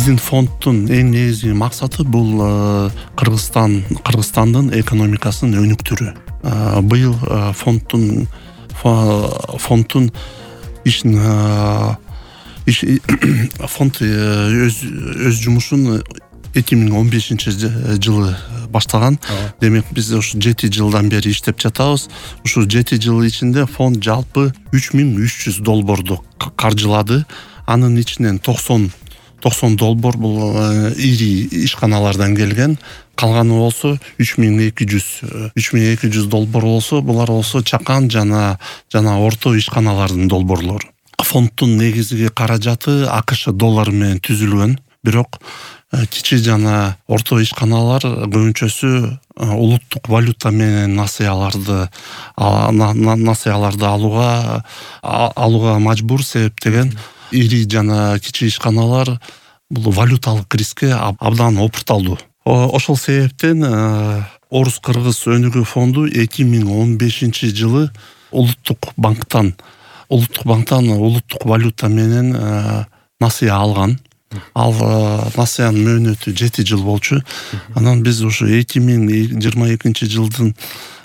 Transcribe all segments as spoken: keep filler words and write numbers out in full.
Биздин фонддун эң негизги максаты бул Кыргызстан Кыргызстандын экономикасын өнүктүрүү. Быйыл фонддун фонддун ишин иш фонд өз өз жумушун эки миң он бешинчи жылы баштаган. Демек биз ушу жети жылдан бери иштеп жатабыз. Ушу жети жыл ичинде фонд жалпы үч миң үч жүз долбоорду каржылады. Анын ичинен токсон долбоор бул ири ишканалардан келген. Калганы болсо үч миң эки жүз долбоор болсо, булар болсо чакан жана жана орто ишканалардын долбоорлору. Фонддун негизги каражаты АКШ доллары менен түзүлгөн. Бирок кичи жана орто ишканалар көбүнчөсү улуттук валюта менен насыяларды насыяларды алууга алууга мажбур, себептеген ири жана кичи ишканалар бул валюталык рискке абдан опурталдуу. Ошол себептен Орус-Кыргыз өнүгүү фонду эки миң он бешинчи жылы улуттук банктан улуттук банктан улуттук валюта менен насыя алган. Ал насыянын мөөнөтү жети жыл болчу. Анан биз ушу эки миң жыйырма экинчи жылдын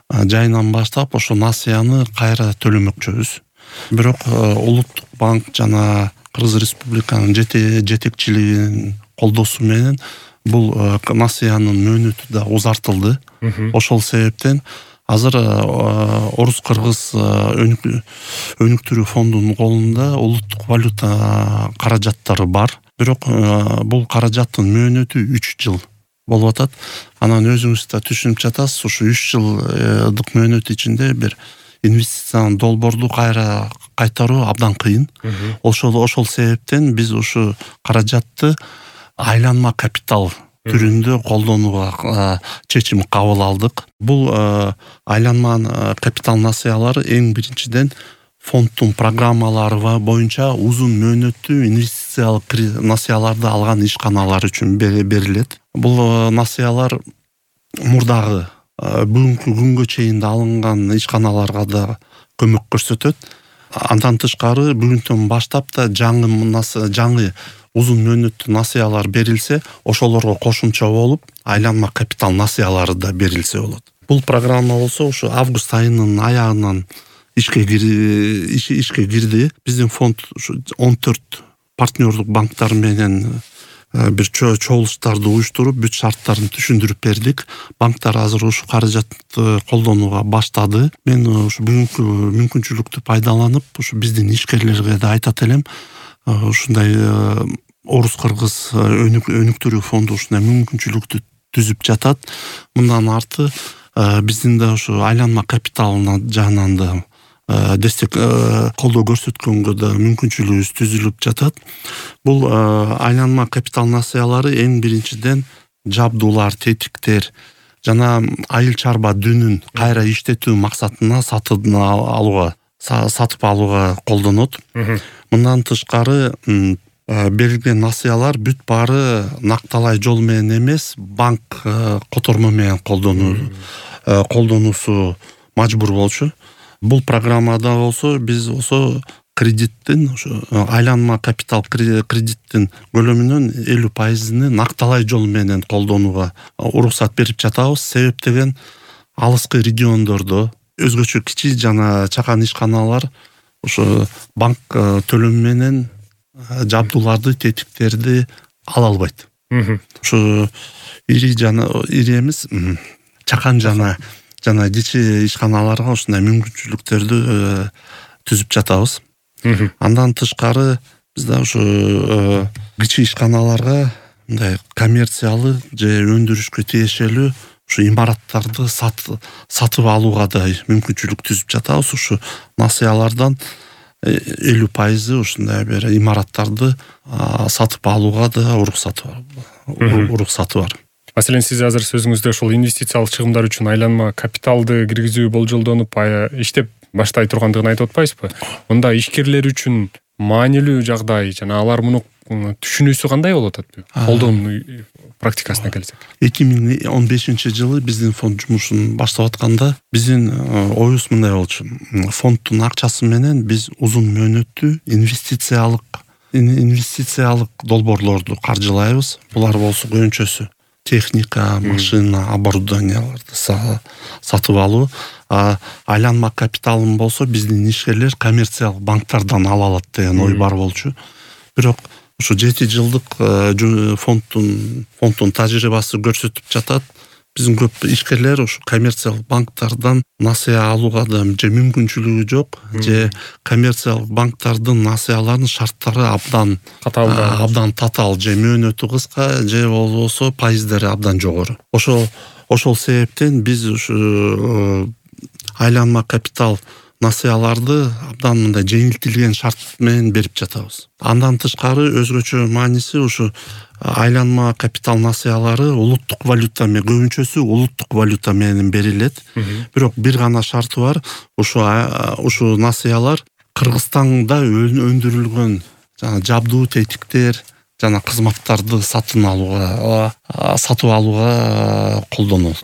жайынан баштап ошо насыяны кайра төлөмөкчүбүз. Бирок улуттук банк жана Кыргыз Республиканын жетекчилигинин колдоосу менен бул насыянын мөөнөтү да узартылды. Ошол себептен азыр Орус-Кыргыз өнүктүрүү фондунун колунда улуттук валюта каражаттары бар. Бирок бул каражаттын мөөнөтү үч жыл болуп атат. Анан өзүңүз да түшүнүп жатасыз, ушу үч жылдык мөөнөт ичинде бир инвестициянын долбоорду кайра кайтаруу абдан кыйын. Ошол ошол себептен биз ушу каражатты айланма капитал түрүндө колдонууга чечим кабыл алдык. Бул айланма капитал насыялары эң биринчиден фонддун программалары боюнча узун мөөнөттүү инвестициялык насыяларды алган ишканалар үчүн берилет. Бул насыялар мурдагы бүгүнкү күнгө чейин да алынган ишканаларга да көмөк көрсөтөт. Андан тышкары бүгүнтөн баштап да жаңы жаңы узун мөөнөттүү насыялар берилсе, ошолорго кошумча болуп айланма капитал насыялары да берилсе болот. Бул программа болсо ушу август айынын аягынан ишке ишке кирди. Биздин фонд он төрт партнердук банктар менен бир чогулуштарды уюштуруп, бүт шарттарын түшүндүрүп бердик. Банктар азыр ушу каражатты колдонууга баштады. Мен ушу бүгүнкү мүмкүнчүлүктү пайдаланып, ушу биздин ишкерлерге да айтат элем, ушундай Орус-Кыргыз өнүктүрүү фонду ушундай мүмкүнчүлүктү түзүп жатат. Мындан арты биздин да ушу айланма капиталына жагынан да дестек колдоо көрсөткөнгө да мүмкүнчүлүгүбүз түзүлүп жатат. Бул айланма капитал насыялары эң биринчиден жабдуулар, тетиктер жана айыл чарба дүнүн кайра иштетүү максатына сатып алууга сатып алууга колдонот. Мындан тышкары берилген насыялар бүт баары накталай жол менен эмес, банк котормо менен колдонуу колдонуусу мажбур болчу. Бул программада болсо биз болсо кредиттин айланма капитал кредиттин көлөмүнүн элүү пайызын накталай жол менен колдонууга уруксат берип жатабыз. Себептеген алыскы региондордо өзгөчө кичи жана чакан ишканалар ошо банк төлөмү менен жабдууларды, тетиктерди ала албайт. Ошо ири жана ири эмес, чакан жана жана кичи ишканаларга ушундай мүмкүнчүлүктөрдү түзүп жатабыз. Андан тышкары биз да ушу кичи ишканаларга мындай коммерциялы же өндүрүшкө тиешелүү ушу имараттарды сатып алууга да мүмкүнчүлүк түзүп жатабыз. Ушу насыялардан элүү пайызы ушундай бир имараттарды сатып алууга да уруксаты бар. уруксаты бар. Маселен, сиз азыр сөзүңүздө ошол инвестициялык чыгымдар үчүн айланма капиталды киргизүү болжолдонуп иштеп баштай тургандыгын айтып атпайсызбы? Мында ишкерлер үчүн маанилүү жагдай жана алар муну түшүнүүсү кандай болуп атат? Колдонуу практикасына келсек. эки миң он бешинчи жылы биздин фонд жумушун баштап атканда биздин оюбуз мындай болчу. Фонддун акчасы менен биз узун мөөнөттүү инвестициялык инвестициялык долбоорлорду каржылайбыз. Булар болсо көбүнчөсү техника, машина, оборудованияларды сатып алуу. Айланма капиталын болсо биздин ишкерлер коммерциялык банктардан ала алат деген ой бар болчу. Бирок ушу жети жылдык фонддун фонддун тажрыйбасы көрсөтүп жатат. Биздин көп ишкерлер ушу коммерциялык банктардан насыя алууга да же мүмкүнчүлүгү жок, же коммерциялык банктардын насыяларынын шарттары абдан катаал, абдан татаал, же мөөнөтү кыска, же болбосо пайыздары абдан жогору. Ошол ошол себептен биз ушу айланма капитал насыяларды абдан мындай жеңилтилген шарт менен берип жатабыз. Андан тышкары өзгөчө мааниси ушу айланма капитал насыялары улуттук валюта менен, көбүнчөсү улуттук валюта менен берилет. Бирок бир гана шарты бар. Ушу ушу насыялар Кыргызстанда өндүрүлгөн жана жабдуу тетиктер жана кызматтарды сатып алууга сатып алууга колдонулат.